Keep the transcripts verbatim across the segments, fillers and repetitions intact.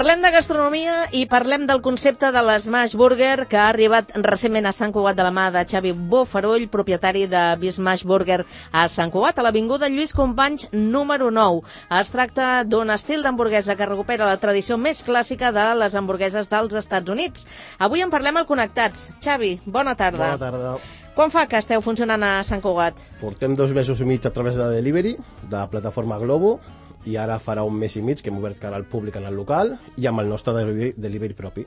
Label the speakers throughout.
Speaker 1: Parlem de gastronomia i parlem del concepte de l'Smash Burger, que ha arribat recentment a Sant Cugat de la mà de Xavi Bofarull, propietari de Smash Burger a Sant Cugat, a l'avinguda Lluís Companys número nou. Es tracta d'un estil d'hamburguesa que recupera la tradició més clàssica de les hamburgueses dels Estats Units. Avui en parlem al Connectats. Xavi, bona tarda.
Speaker 2: Bona tarda.
Speaker 1: Quan fa que esteu funcionant a Sant Cugat?
Speaker 2: Portem dos mesos i mig a través de delivery, de la plataforma Globo, i ara farà un mes i mig que hem obert cara al públic en el local i amb el nostre delivery, delivery propi.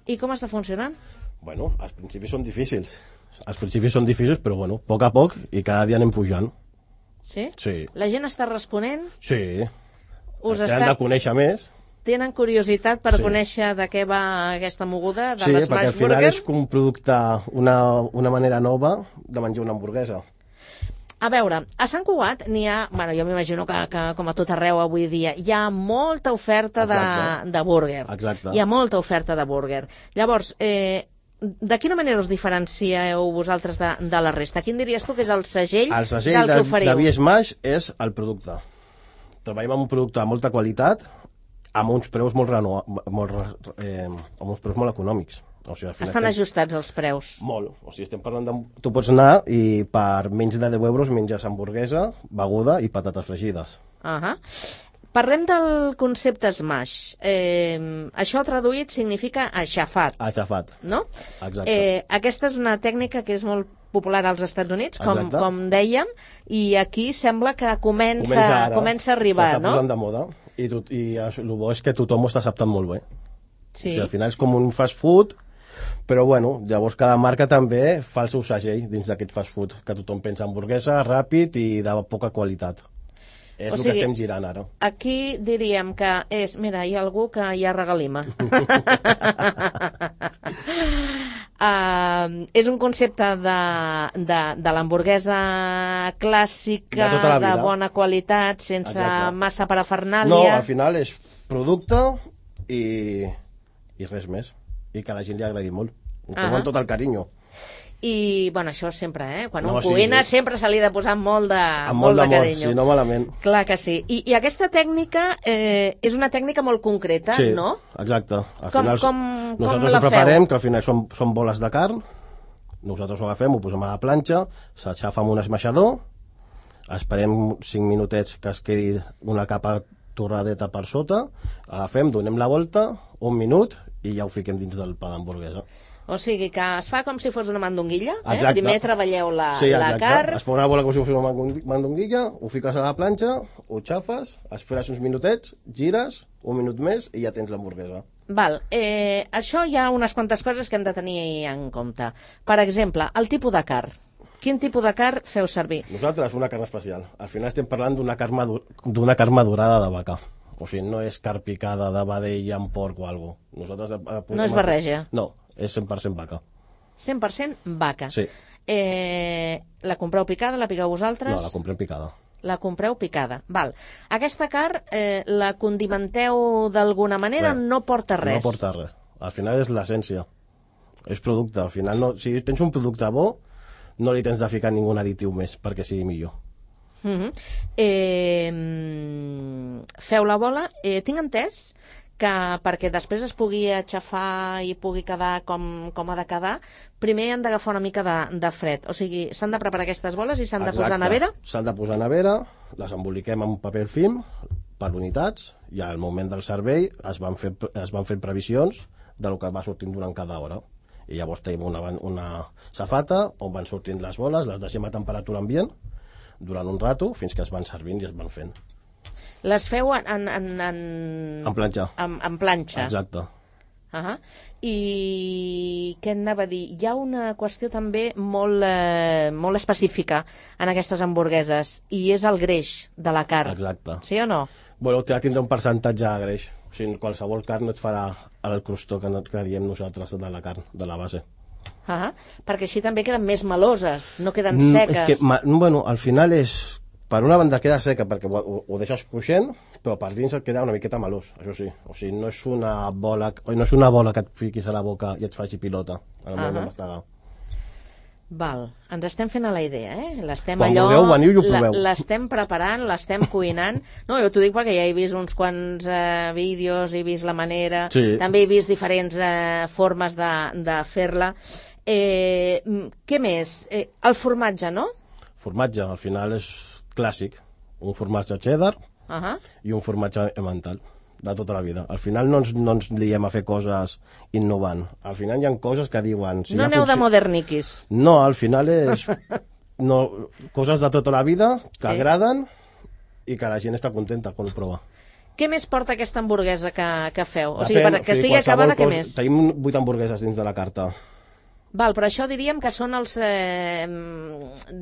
Speaker 1: I com està funcionant?
Speaker 2: Bueno, als principis són difícils. Als principis són difícils, però bueno, a poc a poc i cada dia anem pujant.
Speaker 1: Sí?
Speaker 2: Sí.
Speaker 1: La gent està responent?
Speaker 2: Sí.
Speaker 1: Us
Speaker 2: Ens
Speaker 1: està...
Speaker 2: han de conèixer més.
Speaker 1: Tenen curiositat per
Speaker 2: Sí.
Speaker 1: conèixer de què va aquesta moguda de
Speaker 2: Sí,
Speaker 1: l'Smash
Speaker 2: perquè al final
Speaker 1: Burger?
Speaker 2: és un producte, una, una manera nova de menjar una hamburguesa.
Speaker 1: A veure, a Sant Cugat n'hi ha, bueno, jo m'imagino que, que com a tot arreu avui dia, hi ha molta oferta de,
Speaker 2: Exacte.
Speaker 1: de burger.
Speaker 2: Exacte.
Speaker 1: Hi ha molta oferta de burger. Llavors, eh, de quina manera us diferencieu vosaltres de, de la resta? Quin diries tu que és el segell,
Speaker 2: El segell
Speaker 1: del
Speaker 2: de,
Speaker 1: que oferiu?
Speaker 2: de Bsmash és el producte. Treballem amb un producte de molta qualitat, amb uns preus molt, reno, molt, eh, amb uns preus molt econòmics. O sigui, al final
Speaker 1: Estan
Speaker 2: estem-
Speaker 1: ajustats els preus.
Speaker 2: Molt. O sigui, estem parlant de... Tu pots anar i per menys de deu euros menges hamburguesa, beguda i patates fregides.
Speaker 1: Uh-huh. Parlem del concepte Smash. Eh, això traduït significa aixafat,
Speaker 2: Aixafat.
Speaker 1: no?
Speaker 2: Exacte.
Speaker 1: Eh, aquesta és una tècnica que és molt popular als Estats Units, com,
Speaker 2: Exacte.
Speaker 1: com dèiem, i aquí sembla que comença,
Speaker 2: Comença ara.
Speaker 1: comença a arribar,
Speaker 2: S'està
Speaker 1: no?
Speaker 2: posant de moda. I, tot, i el bo és que tothom ho està acceptant molt bé.
Speaker 1: Sí.
Speaker 2: O sigui, al final és com un fast food, però bueno, llavors cada marca també fa el seu segell dins d'aquest fast food, que tothom pensa hamburguesa, ràpid i de poca qualitat. És
Speaker 1: O
Speaker 2: el
Speaker 1: sigui,
Speaker 2: que estem girant ara.
Speaker 1: Aquí diríem que és, mira, hi ha algú que hi ha regalima. uh, és un concepte de, de, de l'hamburguesa clàssica,
Speaker 2: De tota la
Speaker 1: de
Speaker 2: vida.
Speaker 1: bona qualitat, sense
Speaker 2: Exacte.
Speaker 1: massa
Speaker 2: No,
Speaker 1: parafernàlia.
Speaker 2: al final és producte i, i res més. I que a la gent li agradi molt. Ho fem
Speaker 1: Ah.
Speaker 2: amb tot el carinyo.
Speaker 1: I, bueno, això sempre, eh? Quan
Speaker 2: No,
Speaker 1: un
Speaker 2: sí,
Speaker 1: cuina
Speaker 2: sí.
Speaker 1: sempre se li ha de posar molt de,
Speaker 2: Amb
Speaker 1: molt de
Speaker 2: d'amor,
Speaker 1: carinyo.
Speaker 2: si no malament.
Speaker 1: Clar que sí. I, i aquesta tècnica eh, és una tècnica molt concreta,
Speaker 2: Sí,
Speaker 1: no?
Speaker 2: exacte. Al
Speaker 1: Com-
Speaker 2: final,
Speaker 1: com- com
Speaker 2: nosaltres
Speaker 1: la
Speaker 2: ho preparem,
Speaker 1: feu?
Speaker 2: que al final són, són boles de carn, nosaltres ho agafem, ho posem a la planxa, s'aixafa amb un esmaixador, esperem cinc minutets que es quedi una capa torradeta per sota, agafem, donem la volta, un minut, i ja ho fiquem dins del pa d'hamburguesa.
Speaker 1: O sigui que es fa com si fos una mandonguilla, eh?
Speaker 2: Exacte.
Speaker 1: Primer treballeu la,
Speaker 2: Sí,
Speaker 1: la
Speaker 2: exacte.
Speaker 1: carn,
Speaker 2: Es fa una bola com si fos una mandong- mandonguilla, ho fiques a la planxa, ho xafes, esperes uns minutets, gires, un minut més i ja tens l'hamburguesa.
Speaker 1: val. Eh, això hi ha unes quantes coses que hem de tenir en compte. Per exemple, el tipus de carn. Quin tipus de carn feu servir?
Speaker 2: Nosaltres, una carn especial. Al final estem parlant d'una carn, madu- d'una carn madurada de vaca. O sigui, no és carn picada de vedella amb porc o alguna cosa. Nosaltres... apuntem
Speaker 1: No és
Speaker 2: a-
Speaker 1: barreja?
Speaker 2: No, és cent per cent vaca.
Speaker 1: cent per cent vaca.
Speaker 2: Sí.
Speaker 1: Eh, la compreu picada, la piqueu vosaltres?
Speaker 2: No, la comprem picada.
Speaker 1: La compreu picada. Val. Aquesta carn eh, la condimenteu d'alguna manera?
Speaker 2: Res.
Speaker 1: No porta res.
Speaker 2: No porta res. Al final és l'essència. És producte. Al final, no, si tens un producte bo, no li tens de ficar ningú additiu més perquè sigui millor.
Speaker 1: Mhm. eh, mm, feu la bola. Eh, tinc entès que perquè després es pugui aixafar i pugui quedar com, com ha de quedar, primer han d'agafar una mica de, de fred. O sigui, s'han de preparar aquestes boles i s'han de posar a
Speaker 2: Exacte.
Speaker 1: nevera?
Speaker 2: S'han de posar a nevera, les emboliquem amb paper film per unitats i al moment del servei es van fer, es van fer previsions del que va sortint durant cada hora. I llavors tenim una, una safata on van sortint les boles, les deixem a temperatura ambient durant un rato fins que es van servint i es van fent.
Speaker 1: Les feu en... En, en, en...
Speaker 2: En planxa.
Speaker 1: En, en planxa.
Speaker 2: Exacte.
Speaker 1: Uh -huh. I què anava a dir? Hi ha una qüestió també molt, eh, molt específica en aquestes hamburgueses i és el greix de la carn.
Speaker 2: Exacte.
Speaker 1: Sí o no?
Speaker 2: Bueno, té tindre un percentatge de greix. O sigui, qualsevol carn no et farà el crostó que, no, que diem nosaltres de la carn, de la base.
Speaker 1: Uh -huh. Perquè així també queden més meloses, no queden
Speaker 2: Mm,
Speaker 1: seques.
Speaker 2: És que, ma, bueno, al final és... Per una banda queda seca perquè ho, ho, ho deixes cruixent, però per dins et queda una miqueta melós, això sí. O sigui, no és una bola, no és una bola que et fiquis a la boca i et faci pilota en el moment
Speaker 1: Ahà.
Speaker 2: de mastegar.
Speaker 1: Val, ens estem fent a la idea, eh? L'estem
Speaker 2: Quan
Speaker 1: allò...
Speaker 2: vulgueu, veniu i ho proveu.
Speaker 1: L'estem preparant, l'estem cuinant. No, jo t'ho dic perquè ja he vist uns quants eh, vídeos, he vist la manera,
Speaker 2: Sí.
Speaker 1: també he vist diferents eh, formes de, de fer-la. Eh, què més? Eh, el formatge, no?
Speaker 2: Formatge, al final és clàssic. Un formatge cheddar
Speaker 1: Uh -huh.
Speaker 2: i un formatge emmental, de tota la vida. Al final no ens, no ens liem a fer coses innovant. Al final hi ha coses que diuen... Si
Speaker 1: No
Speaker 2: ja
Speaker 1: aneu de
Speaker 2: funci-
Speaker 1: moderniquis.
Speaker 2: No, al final és no, coses de tota la vida que
Speaker 1: Sí.
Speaker 2: agraden i que la gent està contenta quan ho prova.
Speaker 1: Què més porta aquesta hamburguesa que, que feu? O sigui,
Speaker 2: Depèn,
Speaker 1: per, que
Speaker 2: o sigui,
Speaker 1: estigui acabada, què
Speaker 2: qualsevol
Speaker 1: més?
Speaker 2: Tenim vuit hamburgueses dins de la carta.
Speaker 1: Val, però això diríem que són els eh,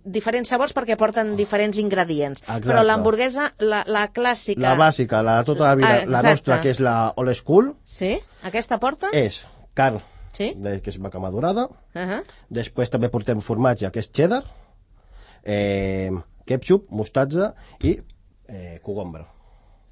Speaker 1: diferents sabors perquè porten diferents ingredients.
Speaker 2: Exacte.
Speaker 1: Però l'hamburguesa, la, la clàssica...
Speaker 2: La bàsica, la de tota la vida,
Speaker 1: Ah,
Speaker 2: la
Speaker 1: exacte.
Speaker 2: nostra, que és la old school,
Speaker 1: Sí? Aquesta porta?
Speaker 2: és carn,
Speaker 1: Sí?
Speaker 2: de, que és vaca madurada.
Speaker 1: Uh -huh.
Speaker 2: Després també portem formatge, que és cheddar, eh, ketchup, mostatza i eh, cogombre.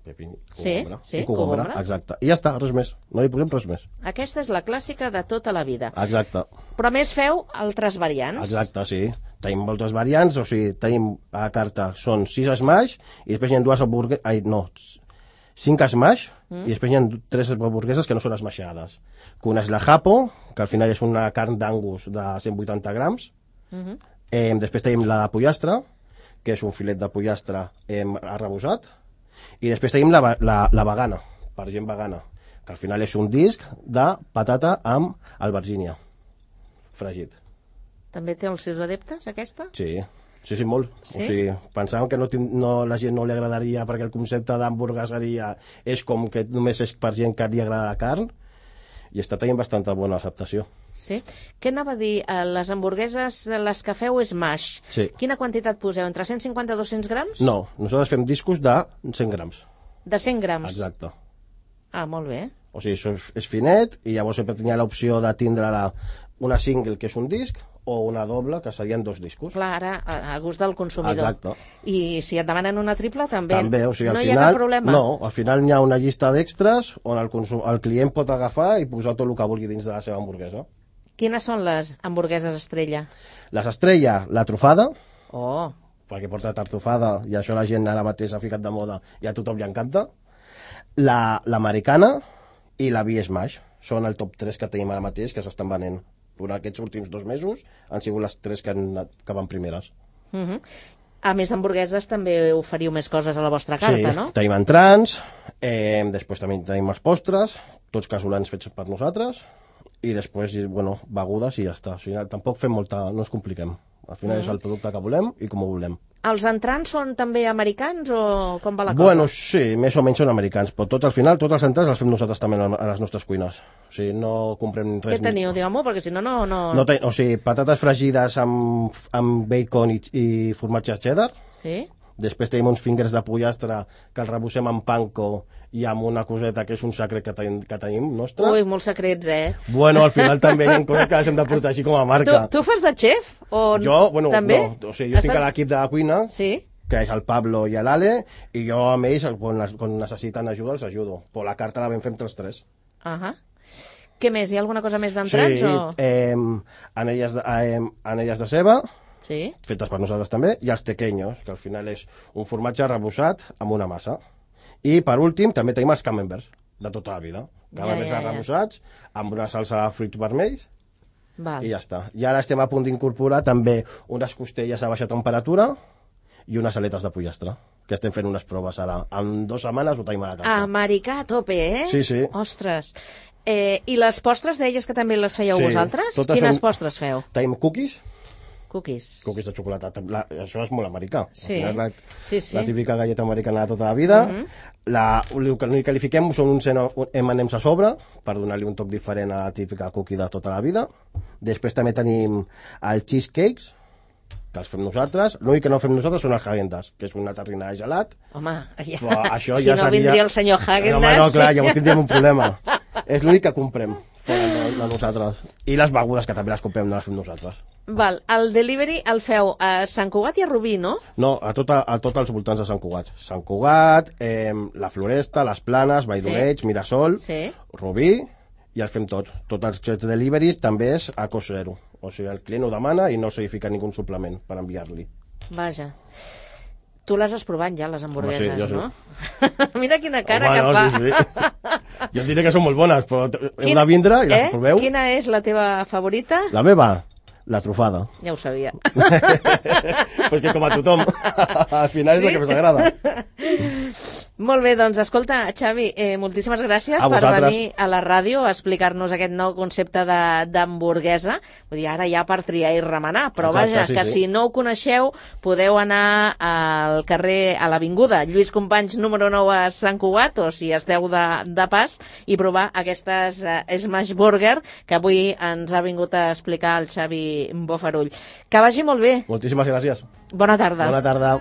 Speaker 2: Pepini,
Speaker 1: Sí,
Speaker 2: cogombre.
Speaker 1: sí,
Speaker 2: I cogombre,
Speaker 1: cogombre.
Speaker 2: exacte. I ja està, res més. No hi posem res més.
Speaker 1: Aquesta és la clàssica de tota la vida.
Speaker 2: Exacte.
Speaker 1: Però a més feu altres variants.
Speaker 2: Exacte, sí. Tenim moltes variants, o sigui, tenim a la carta, són sis smash, i després hi ha dues hamburgueses, ai, no, cinc smash, mm. i després hi ha tres hamburgueses que no són smashades. Que una és la Japo, que al final és una carn d'angus de cent vuitanta grams.
Speaker 1: Uh -huh.
Speaker 2: Eh, després tenim la de pollastre, que és un filet de pollastre eh, arrebossat. I després tenim la, la, la vegana, per gent vegana, que al final és un disc de patata amb albergínia, fregit.
Speaker 1: També té els seus adeptes, aquesta?
Speaker 2: Sí, sí, sí, molt.
Speaker 1: Sí?
Speaker 2: O sigui, pensàvem que no, tin- no, la gent no li agradaria perquè el concepte d'hamburgueseria és com que només és per gent que li agrada la carn, i està tenint bastanta bona acceptació.
Speaker 1: Sí. Què anava a dir? Eh, Les hamburgueses, les que feu és mash.
Speaker 2: Sí.
Speaker 1: Quina quantitat poseu? Entre cent cinquanta i dos-cents grams?
Speaker 2: No, nosaltres fem discos de cent grams.
Speaker 1: De cent grams?
Speaker 2: Exacte.
Speaker 1: Ah, molt bé.
Speaker 2: O sigui, això és, és finet, i llavors sempre tenia l'opció de tindre la, una single, que és un disc, o una doble, que serien dos discos.
Speaker 1: Clar, ara, a, a gust del consumidor.
Speaker 2: Exacte.
Speaker 1: I si et demanen una triple, també.
Speaker 2: També, o sigui, al
Speaker 1: no
Speaker 2: final...
Speaker 1: hi ha cap problema.
Speaker 2: No, al final hi ha una llista d'extras on el, consum, el client pot agafar i posar tot el que vulgui dins de la seva hamburguesa.
Speaker 1: Quines són les hamburgueses estrella?
Speaker 2: Les estrella, la trufada,
Speaker 1: Oh,
Speaker 2: perquè porta tartufada, i això la gent ara mateix ha ficat de moda i a tothom li encanta. La- L'americana i la B-Smash són el top tres que tenim ara mateix, que s'estan venent. Durant aquests últims dos mesos han sigut les tres que, han, que van primeres.
Speaker 1: uh -huh. A més d'hamburgueses també oferiu més coses a la vostra carta,
Speaker 2: sí,
Speaker 1: no?
Speaker 2: tenim entrants, eh, després també tenim els postres, tots casolans fets per nosaltres, i després, bueno, begudes i ja està. O sigui, tampoc fem molta... no ens compliquem. Al final mm. és el producte que volem i com ho volem.
Speaker 1: Els entrants són també americans o com va la cosa?
Speaker 2: Bueno, sí, més o menys són americans, però tots al final, tots els entrants els fem nosaltres també a les nostres cuines. O sigui, no comprem res...
Speaker 1: Què teniu? Digueu-m'ho, perquè si no, no... no...
Speaker 2: no ten... O sigui, patates fregides amb, amb bacon i, i formatge cheddar.
Speaker 1: Sí?
Speaker 2: Després tenim uns fingers de pollastre que els rebossem amb panko i amb una coseta que és un secret que, ten, que tenim nostre.
Speaker 1: Ui, molts secrets, eh?
Speaker 2: Bueno, al final també hi ha coses que les hem de protegir com a marca.
Speaker 1: Tu, tu fas de xef? O
Speaker 2: Jo, bueno,
Speaker 1: també?
Speaker 2: no. O sigui, jo estic
Speaker 1: Estàs...
Speaker 2: a l'equip de la cuina,
Speaker 1: Sí?
Speaker 2: que és el Pablo i l'Ale, i jo amb ells, quan, quan necessiten ajuda, els ajudo. Però la carta la vam fer entre els tres.
Speaker 1: Uh -huh. Què més? Hi ha alguna cosa més d'entrants?
Speaker 2: Sí,
Speaker 1: o...
Speaker 2: eh, anelles, de, eh, anelles de ceba,
Speaker 1: Sí?
Speaker 2: fetes per nosaltres també, i els tequeños, que al final és un formatge rebossat amb una massa. I per últim també tenim els camemberts, de tota la vida. Camemberts
Speaker 1: Ja, ja, ja.
Speaker 2: arrebossats, amb una salsa de fruits vermells,
Speaker 1: Val.
Speaker 2: i ja està. I ara estem a punt d'incorporar també unes costelles a baixa temperatura i unes aletes de pollastre, que estem fent unes proves ara. En dues setmanes ho tenim a la carta.
Speaker 1: Americà a tope, eh?
Speaker 2: Sí, sí.
Speaker 1: Ostres. Eh, I les postres deies que també les fèieu
Speaker 2: Sí,
Speaker 1: vosaltres?
Speaker 2: totes
Speaker 1: Quines
Speaker 2: són-
Speaker 1: postres feu?
Speaker 2: Tenim cookies,
Speaker 1: Cookies.
Speaker 2: cookies de xocolata. La, això és molt americà.
Speaker 1: Sí,
Speaker 2: Al final, la,
Speaker 1: sí, sí.
Speaker 2: la típica galleta americana de tota la vida.
Speaker 1: Mhm.
Speaker 2: la, el que l'únic que li fiquem són uns eme and ems a sobre, per donar-li un toc diferent a la típica cookie de tota la vida. Després també tenim els cheesecakes, que els fem nosaltres. L'únic que no fem nosaltres són els Häagen-Dazs, que és una terrina de gelat.
Speaker 1: Home, ja...
Speaker 2: Però això
Speaker 1: si
Speaker 2: ja
Speaker 1: no
Speaker 2: seria...
Speaker 1: vindria el senyor
Speaker 2: No,
Speaker 1: Häagen-Dazs...
Speaker 2: home, no, clar, llavors tindríem un problema. És l'únic que comprem fora de, de nosaltres. I les begudes, que també les comprem, no les fem nosaltres.
Speaker 1: Val, el delivery el feu a Sant Cugat i a Rubí, no?
Speaker 2: No, a tot, a tot els voltants de Sant Cugat. Sant Cugat, eh, la Floresta, les Planes, Vall d'Oreig,
Speaker 1: Sí.
Speaker 2: Mirasol,
Speaker 1: Sí.
Speaker 2: Rubí i els fem tots. Tots els deliveries també és a cost zero. O sigui, el client ho demana i no s'hi fica ningú suplement per enviar-li.
Speaker 1: Vaja. Tu les has provat ja, les hamburgueses,
Speaker 2: Home, sí,
Speaker 1: no? Sí. Mira quina cara
Speaker 2: Home,
Speaker 1: que
Speaker 2: no,
Speaker 1: fa.
Speaker 2: Sí, sí. Jo et diré que són molt bones, però heu de vindre i les
Speaker 1: eh?
Speaker 2: proveu.
Speaker 1: Quina és la teva favorita?
Speaker 2: La meva? La trufada.
Speaker 1: Ja ho sabia.
Speaker 2: Pues que com a tothom. Al final sí? És la que més agrada.
Speaker 1: Molt bé, doncs escolta, Xavi, eh, moltíssimes gràcies per venir a la ràdio a explicar-nos aquest nou concepte d'hamburguesa. Vull dir, ara ja per triar i remenar, però Exacte, vaja, sí, que sí. Si no ho coneixeu, podeu anar al carrer, a l'avinguda Lluís Companys número nou a Sant Cugat, o si esteu de, de pas, i provar aquestes uh, Smash Burger que avui ens ha vingut a explicar el Xavi Bofarull. Que vagi molt bé.
Speaker 2: Moltíssimes gràcies.
Speaker 1: Bona tarda.
Speaker 2: Bona tarda.